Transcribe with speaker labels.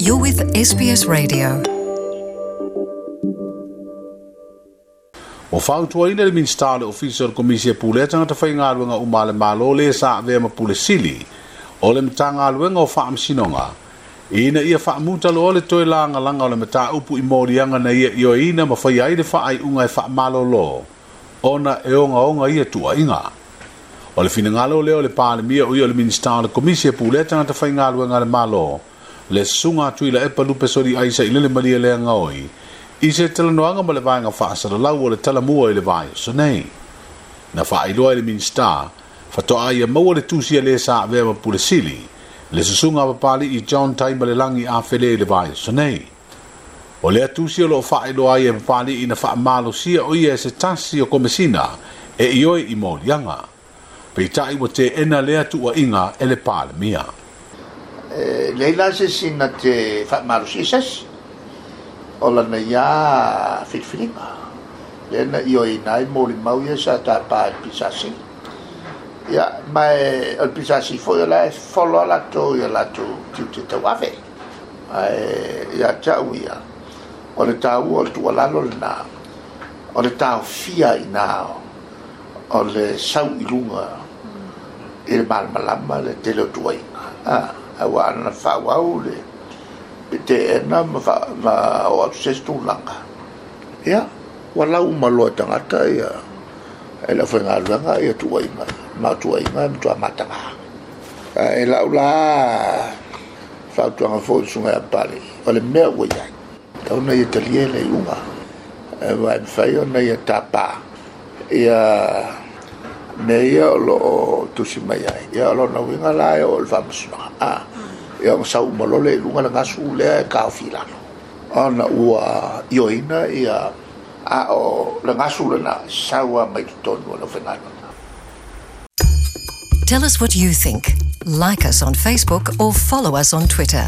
Speaker 1: You're with SBS Radio.
Speaker 2: Ua fautuaina le Minisita o le Ofisa o le Komisi e Pulea Tagata Faigaluega uma a le Malo le sa avea ma Pule Sili o le Matagaluega o Faamasinoga ina ia faamuta loa le toe lagalaga o le mataupu i moliaga na ia ioeina ma faia ai le faaiuga e faamalolo ona e ogaoga ia tuuaiga. O le finagalo lea o le Palemia o ia o le Minisita o le Komisi e Pulea Tagata Faigaluega a le Malo, le Susuga a Tuilaepa Lupesoli Aisa i Lele Malielegaoi, i se talanoaga ma le Vaega Faasalalau o le Talamua i le vaiaso nei. Na faailoa e le Minisita, faatoa ia maua le tusi a le sa avea ma Pule Sili, le Susuga a Papali'i John Taimalelagi Afele i le vaiaso nei. O lea tusi o loo faailoa ai e Papali'i na faamalosia o ia e se tasi o Komesina e ioe i moliaga. Peitai ua teena lea tuuaiga e le Palemia.
Speaker 3: E leai la se isi na te faamalosia i se isi, o lana ia filifiliga lea na ioeina ai molimau ia sa tapa e le PSC. Ia, ma e, o le PSC foi o la e folo lava latou i a latou tiute tauave. Ae ia te au ia, o le taua o le tuualalo lena, o le taofia i ina o le sau i luga i le malamalama le tele o tuuaiga, aua ana faaauau le teena ma oo atu i se isi tulaga, ia, ua lau uma loa e tagata ia, e le aufaigaluega ia tuuaiga ia, ma o tuuaiga e matua mataga. Ae i lau la fautuaga foi i le Susuga ia Papalii, o le mea ua i ai, tatau ona ia talia le iuga, aua e mafai ona ia tapa ia mea ia o lo o tusi mai ai. Ia o lona uiga la e oo i le faamasinoga, a, ia ona sau uma loa lea i luga le gasu lea e taofi i lalo, ona ua ioeina ia, a o le gasu lena e sau lava mai totonu o le aufaigaluega.
Speaker 1: Tell us what you think. Like us on Facebook or follow us on Twitter.